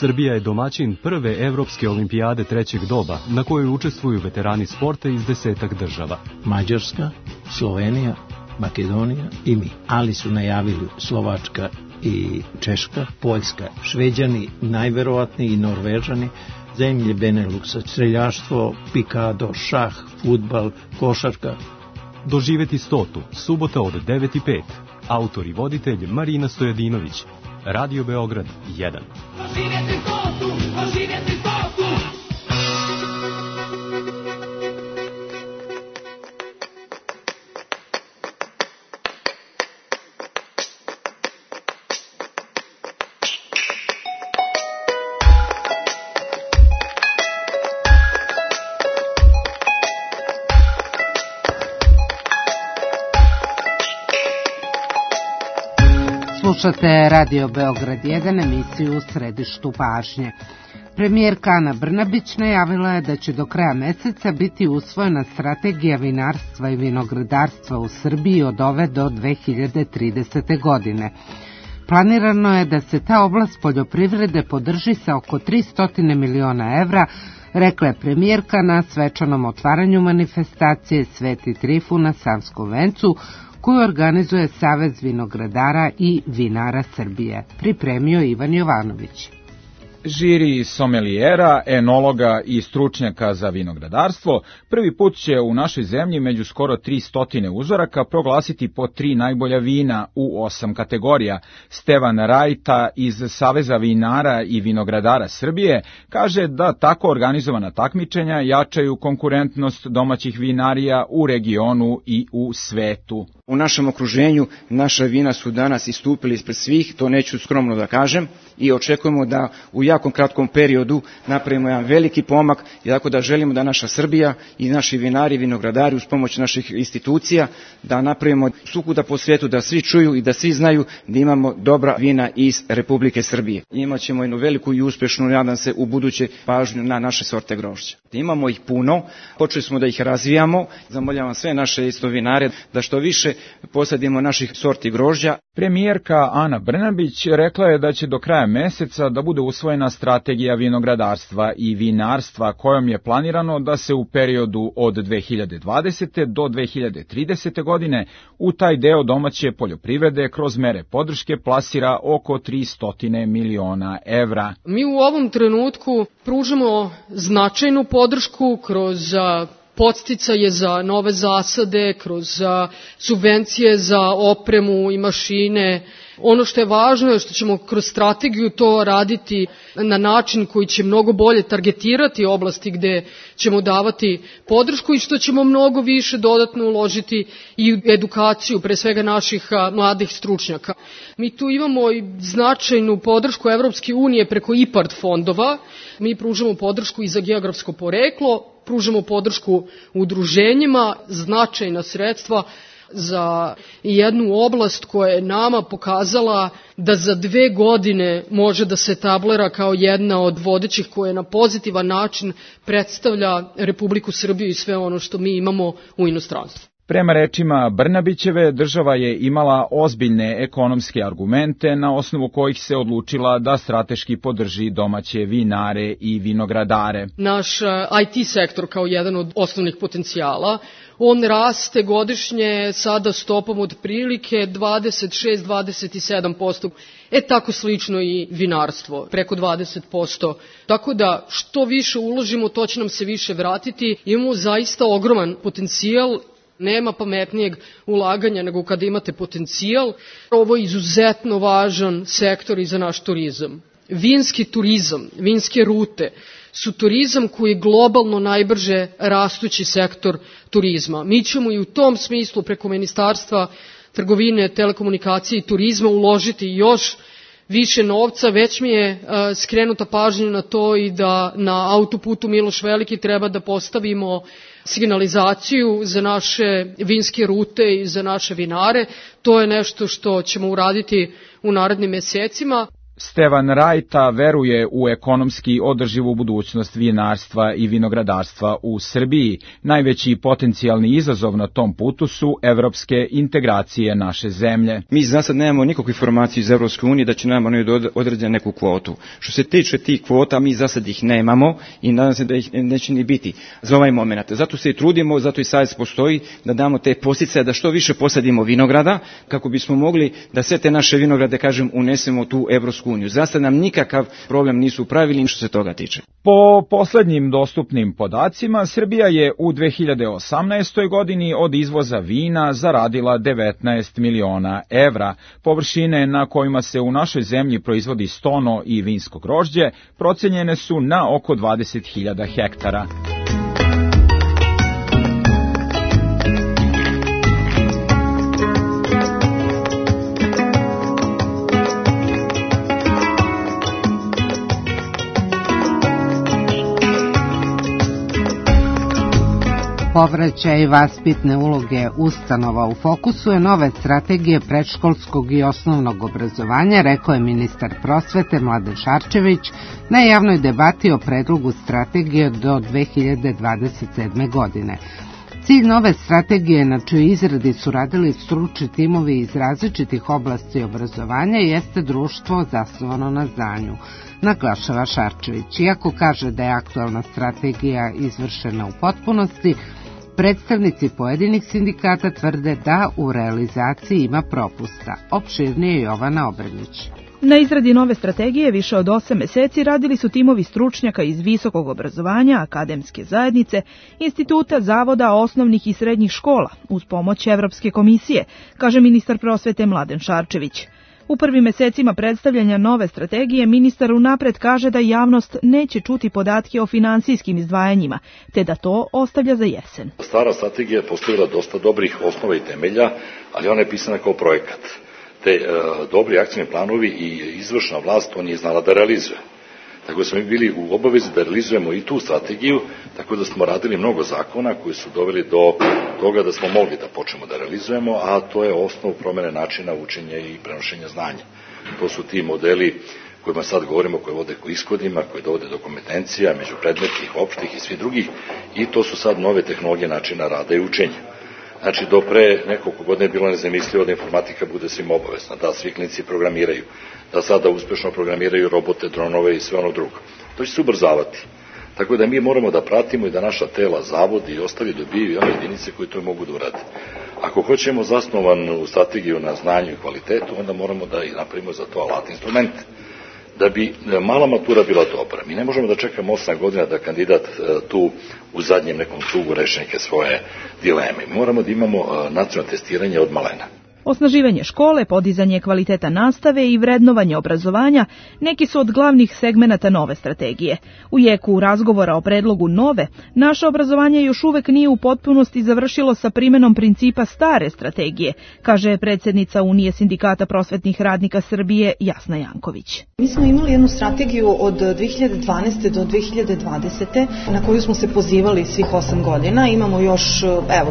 Srbija je domaćin prve evropske olimpijade trećeg doba, na kojoj učestvuju veterani sporta iz 10 država. Mađarska, Slovenija, Makedonija i mi. Ali su najavili Slovačka i Češka, Poljska, Šveđani, najverovatniji i Norvežani, zemlje Beneluksa, streljaštvo, pikado, šah, fudbal, košarka. Doživeti 100. Subota od 9:05. Autor i voditelj Marina Stojadinović. Radio Beograd 1. Doživeti 100. Doživeti 100. Slušate Radio Beograd 1, emisiju U središtu pažnje. Premijerka Ana Brnabić najavila je da će do kraja meseca biti usvojena strategija vinarstva i vinogradarstva u Srbiji od ove do 2030. godine. Planirano je da se ta oblast poljoprivrede podrži sa oko 300 miliona evra, rekla je premijerka na svečanom otvaranju manifestacije Sveti Trifun na Savskom vencu, koju organizuje Savez vinogradara i vinara Srbije. Pripremio Ivan Jovanović. Žiri somelijera, enologa i stručnjaka za vinogradarstvo prvi put će u našoj zemlji među skoro 300 uzoraka proglasiti po 3 najbolja vina u 8 kategorija. Stevan Rajta iz Saveza vinara i vinogradara Srbije kaže da tako organizovana takmičenja jačaju konkurentnost domaćih vinarija u regionu i u svetu. U našem okruženju naša vina su danas istupili ispred svih, to neću skromno da kažem, i očekujemo da u jako kratkom periodu napravimo jedan veliki pomak, i tako da želimo da naša Srbija i naši vinari i vinogradari uz pomoć naših institucija da napravimo svukuda po svijetu, da svi čuju i da svi znaju da imamo dobra vina iz Republike Srbije. Imaćemo jednu veliku i uspješnu, nadam se, u buduće pažnju na naše sorte grožđa. Imamo ih puno, počeli smo da ih razvijamo, zamoljavam sve naše isto vinare da što više posadimo naših sorti grožđa. Premijerka Ana Brnabić rekla je da će do kraja meseca da bude usvojena strategija vinogradarstva i vinarstva kojom je planirano da se u periodu od 2020. do 2030. godine u taj deo domaće poljoprivrede kroz mere podrške plasira oko 300 miliona evra. Mi u ovom trenutku pružamo značajnu podršku kroz podsticaje za nove zasade, kroz subvencije za opremu i mašine. Ono što je važno je što ćemo kroz strategiju to raditi na način koji će mnogo bolje targetirati oblasti gde ćemo davati podršku i što ćemo mnogo više dodatno uložiti i u edukaciju, pre svega naših mladih stručnjaka. Mi tu imamo i značajnu podršku Evropske unije preko IPARD fondova. Mi pružamo podršku i za geografsko poreklo, pružamo podršku udruženjima, značajna sredstva za jednu oblast koja je nama pokazala da za 2 godine može da se etablira kao jedna od vodećih koja na pozitivan način predstavlja Republiku Srbiju i sve ono što mi imamo u inostranstvu. Prema rečima Brnabićeve, država je imala ozbiljne ekonomske argumente na osnovu kojih se odlučila da strateški podrži domaće vinare i vinogradare. Naš IT sektor kao jedan od osnovnih potencijala, on raste godišnje sada stopom od prilike 26-27%. Tako slično i vinarstvo, preko 20%. Tako da što više uložimo, to će nam se više vratiti. Imamo zaista ogroman potencijal. Nema pametnijeg ulaganja nego kada imate potencijal. Ovo je izuzetno važan sektor i za naš turizam. Vinski turizam, vinske rute su turizam koji je globalno najbrže rastući sektor turizma. Mi ćemo i u tom smislu preko Ministarstva trgovine, telekomunikacije i turizma uložiti još više novca. Već mi je skrenuta pažnja na to i da na autoputu Miloš Veliki treba da postavimo signalizaciju za naše vinske rute i za naše vinare. To je nešto što ćemo uraditi u narednim mesecima. Stevan Rajta veruje u ekonomski održivu budućnost vinarstva i vinogradarstva u Srbiji. Najveći potencijalni izazov na tom putu su evropske integracije naše zemlje. Mi za sad nemamo nikakvu informaciju iz Evropske unije da će nam oni odrediti neku kvotu. Što se tiče tih kvota, mi za sad ih nemamo i nadam se da ih neće ni biti za ovaj moment. Zato se i trudimo, zato i savez postoji, da damo te podsticaje da što više posadimo vinograda, kako bismo mogli da sve te naše vinograde, kažem, unesemo tu Evropsku uniju. Zasta nam nikakav problem nisu pravili što se toga tiče. Po poslednjim dostupnim podacima, Srbija je u 2018. godini od izvoza vina zaradila 19 miliona evra. Površine na kojima se u našoj zemlji proizvodi stono i vinsko grožđe procenjene su na oko 20.000 hektara. Povraćaj vaspitne uloge ustanova u fokusu je nove strategije predškolskog i osnovnog obrazovanja, rekao je ministar prosvete Mladen Šarčević na javnoj debati o predlogu strategije do 2027. godine. Cilj nove strategije, na čijoj izradi su radili stručni timovi iz različitih oblasti obrazovanja, jeste društvo zasnovano na znanju, naglašava Šarčević. Iako kaže da je aktualna strategija izvršena u potpunosti, predstavnici pojedinih sindikata tvrde da u realizaciji ima propusta. Opširnije Jovana Obrenić. Na izradi nove strategije više od 8 meseci radili su timovi stručnjaka iz visokog obrazovanja, akademske zajednice, instituta, zavoda, osnovnih i srednjih škola, uz pomoć Evropske komisije, kaže ministar prosvete Mladen Šarčević. U prvim mesecima predstavljanja nove strategije ministar unapred kaže da javnost neće čuti podatke o finansijskim izdvajanjima, te da to ostavlja za jesen. Stara strategija je postavila dosta dobrih osnova i temelja, ali ona je pisana kao projekat. Te dobri akcijni planovi i izvršna vlast to nije znala da realizuje. Tako da smo bili u obavezi da realizujemo i tu strategiju, tako da smo radili mnogo zakona koji su doveli do toga da smo mogli da počnemo da realizujemo, a to je osnov promene načina učenja i prenošenja znanja. To su ti modeli kojima sad govorimo, koji vode ko ishodima, koji dovode do kompetencija, međupredmetnih, opštih i svih drugih, i to su sad nove tehnologije načina rada i učenja. Znači, do pre nekoliko godina je bilo nezamislivo da informatika bude svim obavezna, da svi klinici programiraju, da sada uspešno programiraju robote, dronove i sve ono drugo. To će se ubrzavati. Tako da mi moramo da pratimo i da naša tela, zavodi i ostali dobiju i one jedinice koje to mogu da urade. Ako hoćemo zasnovanu strategiju na znanju i kvalitetu, onda moramo da i napravimo za to alat instrumente. Da bi mala matura bila dobra, mi ne možemo da čekamo 8 godina da kandidat tu u zadnjem nekom krugu reši neke svoje dileme. Moramo da imamo nacionalno testiranje od malena. Osnaživanje škole, podizanje kvaliteta nastave i vrednovanje obrazovanja neki su od glavnih segmenata nove strategije. U jeku razgovora o predlogu nove, naše obrazovanje još uvek nije u potpunosti završilo sa primenom principa stare strategije, kaže predsjednica Unije sindikata prosvetnih radnika Srbije Jasna Janković. Mi smo imali jednu strategiju od 2012. do 2020. na koju smo se pozivali svih 8 godina. Imamo još,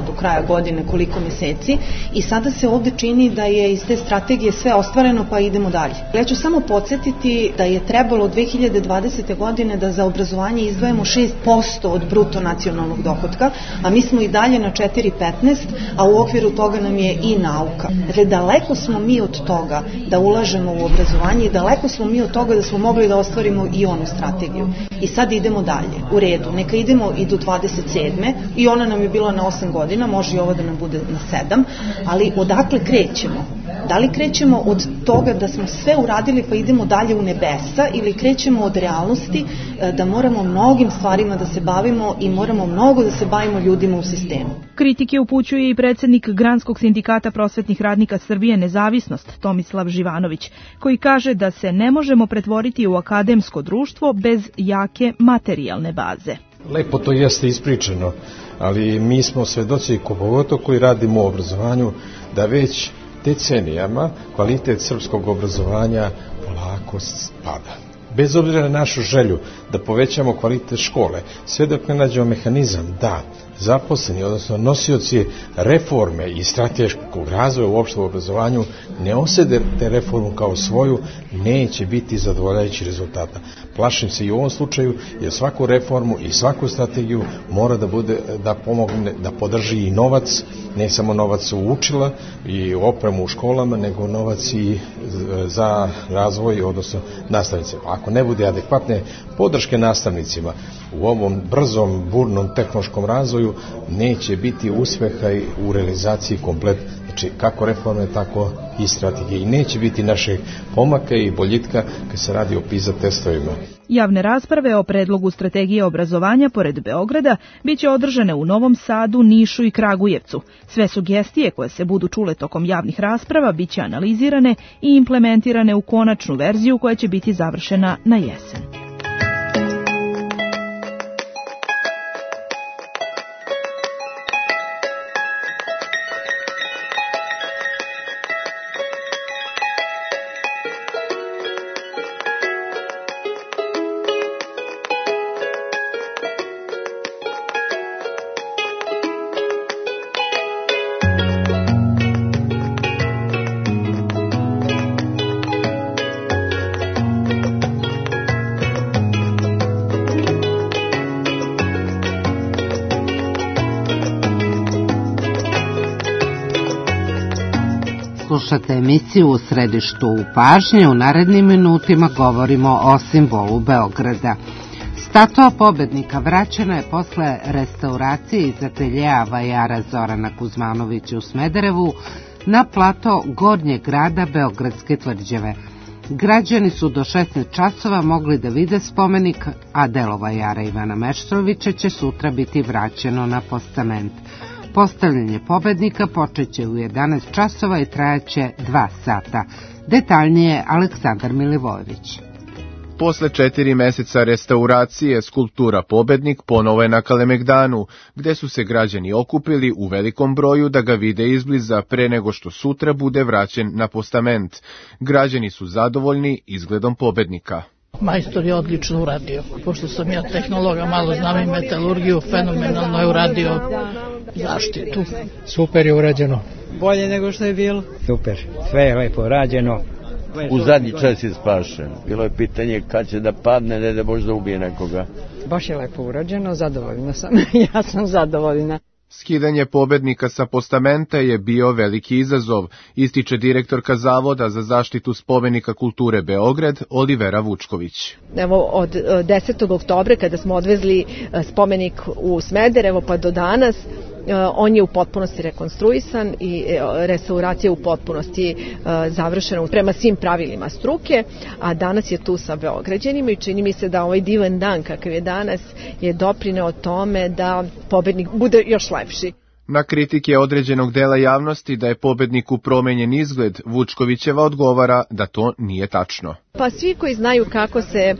do kraja godine koliko meseci i sada se ovde čini da je iz te strategije sve ostvareno, pa idemo dalje. Ja ću samo podsjetiti da je trebalo 2020. godine da za obrazovanje izdvajamo 6% od bruto nacionalnog dohotka, a mi smo i dalje na 4,15, a u okviru toga nam je i nauka. Dakle, daleko smo mi od toga da ulažemo u obrazovanje i daleko smo mi od toga da smo mogli da ostvarimo i onu strategiju. I sad idemo dalje, u redu. Neka idemo i do 27. i ona nam je bila na 8 godina, može i ovo da nam bude na 7, ali odakle krećemo? Da li krećemo od toga da smo sve uradili pa idemo dalje u nebesa ili krećemo od realnosti da moramo mnogim stvarima da se bavimo i moramo mnogo da se bavimo ljudima u sistemu? Kritike upućuje i predsjednik Granskog sindikata prosvetnih radnika Srbije Nezavisnost, Tomislav Živanović, koji kaže da se ne možemo pretvoriti u akademsko društvo bez jake materijalne baze. Lepo to jeste ispričano, ali mi smo svedoci, pogotovo koji radimo u obrazovanju, da već decenijama kvalitet srpskog obrazovanja polako spada. Bez obzira na našu želju da povećamo kvalitet škole, sve dok ne nađemo mehanizam da zaposleni, odnosno nosioci reforme i strateškog razvoja uopšte u obrazovanju ne osede te reformu kao svoju, neće biti zadovoljavajući rezultata. Plašim se i u ovom slučaju, jer svaku reformu i svaku strategiju mora da pomogne, da podrži i novac, ne samo novac u učila i opremu u školama, nego novac i za razvoj, odnosno nastavnicima. Ako ne bude adekvatne podrške nastavnicima u ovom brzom, burnom tehnološkom razvoju, neće biti uspeha u realizaciji komplet, znači kako reforme, tako i strategije. I neće biti našeg pomaka i boljitka kad se radi o PISA testovima. Javne rasprave o predlogu strategije obrazovanja pored Beograda biće održane u Novom Sadu, Nišu i Kragujevcu. Sve sugestije koje se budu čule tokom javnih rasprava biće analizirane i implementirane u konačnu verziju koja će biti završena na jesen. Slušate emisiju U središtu pažnje. U narednim minutima govorimo o simbolu Beograda. Statua pobednika vraćena je posle restauracije iz ateljeja vajara Zorana Kuzmanovića u Smederevu na plato gornjeg grada Beogradske tvrđave. Građani su do 16 časova mogli da vide spomenik, a delo vajara Ivana Meštrovića će sutra biti vraćeno na postament. Postavljanje pobednika počeće u 11 časova i trajaće 2 sata. Detaljnije Aleksandar Milivojević. Posle 4 meseca restauracije, skulptura Pobednik ponovo je na Kalemegdanu, gde su se građani okupili u velikom broju da ga vide izbliza pre nego što sutra bude vraćen na postament. Građani su zadovoljni izgledom Pobednika. Majstor je odlično uradio. Pošto sam ja tehnologa, malo znam i metalurgiju, fenomenalno je uradio zaštitu. Super je urađeno. Bolje nego što je bilo. Super, sve je lepo rađeno. U zadnji čas je spašen. Bilo je pitanje kad će da padne, ne da možda ubije nekoga. Baš je lepo urađeno, zadovoljna sam. Ja sam zadovoljna. Skidanje Pobednika sa postamenta je bio veliki izazov, ističe direktorka Zavoda za zaštitu spomenika kulture Beograd, Olivera Vučković. Evo, od 10. oktobra kada smo odvezli spomenik u Smederevo pa do danas, on je u potpunosti rekonstruisan i restauracija u potpunosti završena prema svim pravilima struke, a danas je tu sa Beograđanima i čini mi se da ovaj divan dan kakav je danas je doprineo tome da pobednik bude još lepši. Na kritike određenog dela javnosti da je pobedniku promenjen izgled, Vučkovićeva odgovara da to nije tačno. Pa svi koji znaju kako se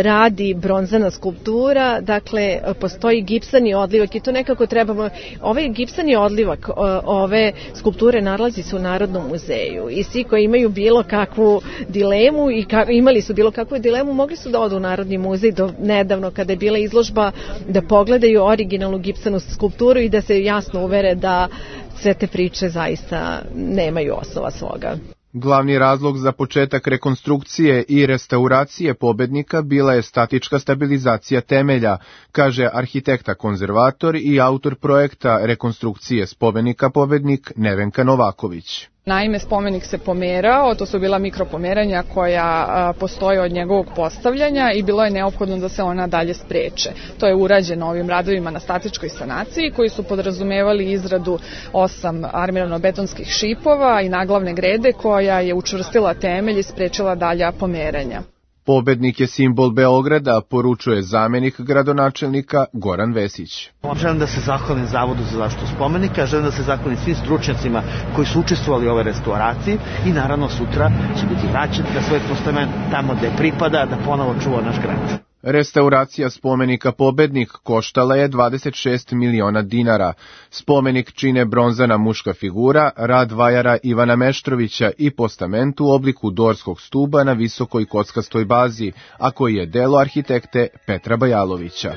radi bronzana skulptura, dakle postoji gipsani odlivak i to nekako trebamo, ovaj gipsani odlivak ove skulpture nalazi se u Narodnom muzeju i svi koji imaju bilo kakvu dilemu i imali su bilo kakvu dilemu mogli su da odu u Narodni muzej do nedavno kada je bila izložba da pogledaju originalnu gipsanu skulpturu i da se jasno uvere da sve te priče zaista nemaju osnova svoga. Glavni razlog za početak rekonstrukcije i restauracije pobednika bila je statička stabilizacija temelja, kaže arhitekta konzervator i autor projekta rekonstrukcije spomenika Pobednik Nevenka Novaković. Naime, spomenik se pomerao, to su bila mikropomeranja koja postoje od njegovog postavljanja i bilo je neophodno da se ona dalje spreče. To je urađeno ovim radovima na statičkoj sanaciji koji su podrazumevali izradu 8 armirano-betonskih šipova i naglavne grede koja je učvrstila temelj i sprečila dalja pomeranja. Pobednik je simbol Beograda, poručuje zamenik gradonačelnika Goran Vesić. Želim da se zahvalim Zavodu za zaštitu spomenika, želim da se zahvalim svim stručnjacima koji su učestvovali u ovoj restauraciji i naravno sutra će biti vraćen na svoj postament tamo gde pripada da ponovo čuva naš grad. Restauracija spomenika Pobednik koštala je 26 miliona dinara. Spomenik čine bronzana muška figura, rad vajara Ivana Meštrovića i postament u obliku dorskog stuba na visokoj kockastoj bazi, a koji je delo arhitekte Petra Bajalovića.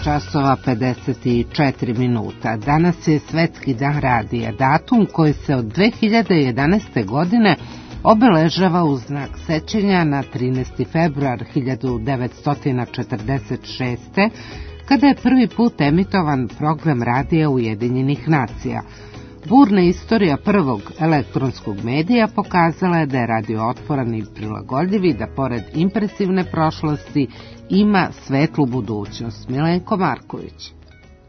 Časova 54 minuta. Danas je Svetski dan radija, datum koji se od 2011. godine obeležava u znak sećanja na 13. februar 1946. kada je prvi put emitovan program radija Ujedinjenih nacija. Burna istorija prvog elektronskog medija pokazala je da je radio otporan i prilagodljiv i da pored impresivne prošlosti ima svetlu budućnost. Milenko Marković.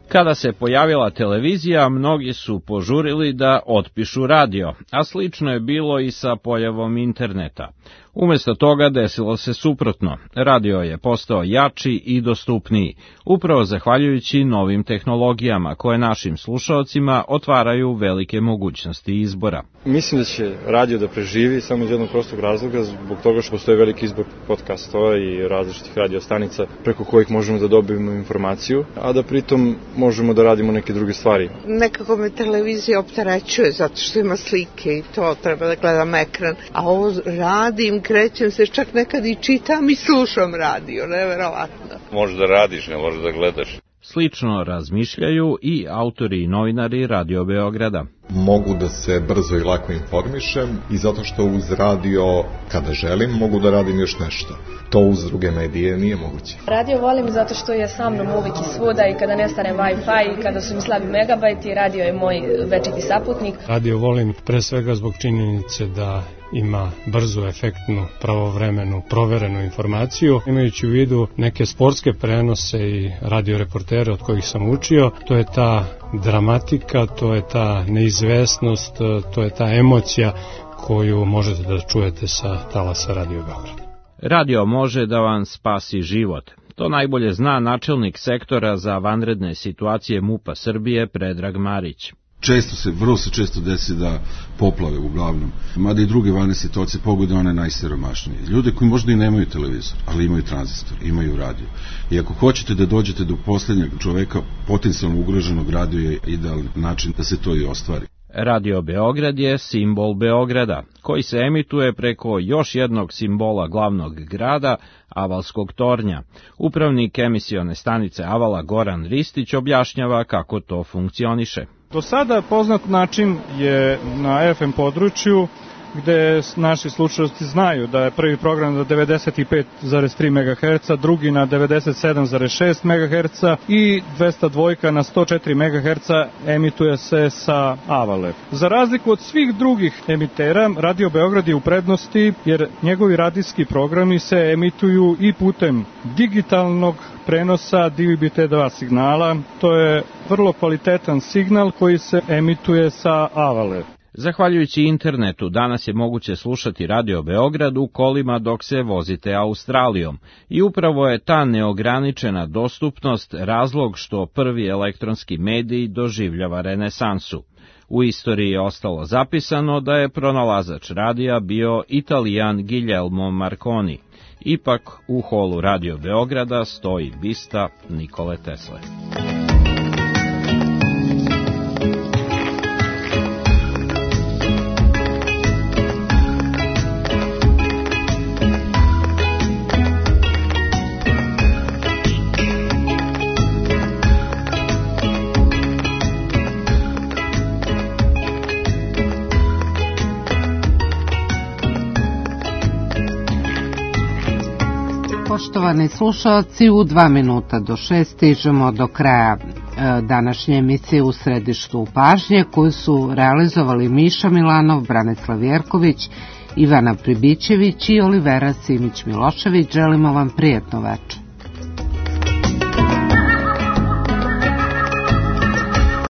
Kada se pojavila televizija, mnogi su požurili da otpišu radio, a slično je bilo i sa pojavom interneta. Umjesto toga desilo se suprotno. Radio je postao jači i dostupniji, upravo zahvaljujući novim tehnologijama koje našim slušaocima otvaraju velike mogućnosti izbora. Mislim da će radio da preživi samo iz jednog prostog razloga, zbog toga što postoji veliki izbor podcastova i različitih radio stanica preko kojih možemo da dobijemo informaciju, a da pritom možemo da radimo neke druge stvari. Nekako me televizija opterećuje zato što ima slike i to treba da gledam ekran, a ovo radim, krećem se, čak nekad i čitam i slušam radio, neverovatno. Možeš da radiš, ne možeš da gledaš. Slično razmišljaju i autori i novinari Radio Beograda. Mogu da se brzo i lako informišem i zato što uz radio, kada želim, mogu da radim još nešto. To uz druge medije nije moguće. Radio volim zato što je sa mnom uvijek i svuda i kada nestane Wi-Fi i kada su mi slabi megabajti, radio je moj večiti saputnik. Radio volim pre svega zbog činjenice da ima brzu, efektnu, pravovremenu, proverenu informaciju. Imajući u vidu neke sportske prenose i radioreportere od kojih sam učio, to je ta dramatika, to je ta neizvesnost, to je ta emocija koju možete da čujete sa talasa Radio Beograd. Radio može da vam spasi život. To najbolje zna načelnik sektora za vanredne situacije MUP-a Srbije Predrag Marić. Vrlo se često desi da poplave uglavnom, mada i druge vanredne situacije pogode one najsiromašnije. Ljude koji možda i nemaju televizor, ali imaju tranzistor, imaju radio. I ako hoćete da dođete do posljednjeg čoveka potencijalno ugroženog, radio je idealan način da se to i ostvari. Radio Beograd je simbol Beograda, koji se emituje preko još jednog simbola glavnog grada, Avalskog tornja. Upravnik emisione stanice Avala Goran Ristić objašnjava kako to funkcioniše. Do sada poznat način je na FM području gde naši slušalci znaju da je prvi program na 95,3 MHz, drugi na 97,6 MHz i 202 na 104 MHz emituje se sa Avale. Za razliku od svih drugih emitera, Radio Beograd je u prednosti jer njegovi radijski programi se emituju i putem digitalnog prenosa DVB-T2 signala. To je vrlo kvalitetan signal koji se emituje sa Avale. Zahvaljujući internetu, danas je moguće slušati Radio Beograd u kolima dok se vozite Australijom i upravo je ta neograničena dostupnost razlog što prvi elektronski medij doživljava renesansu. U istoriji je ostalo zapisano da je pronalazač radija bio Italijan Guglielmo Marconi. Ipak u holu Radio Beograda stoji bista Nikole Tesle. Poštovani slušalci, u 2 minuta do 6 stižemo do kraja današnje emisije U središtu pažnje koju su realizovali Miša Milanov, Branislav Jerković, Ivana Pribićević i Olivera Simić Milošević. Želimo vam prijatno večer.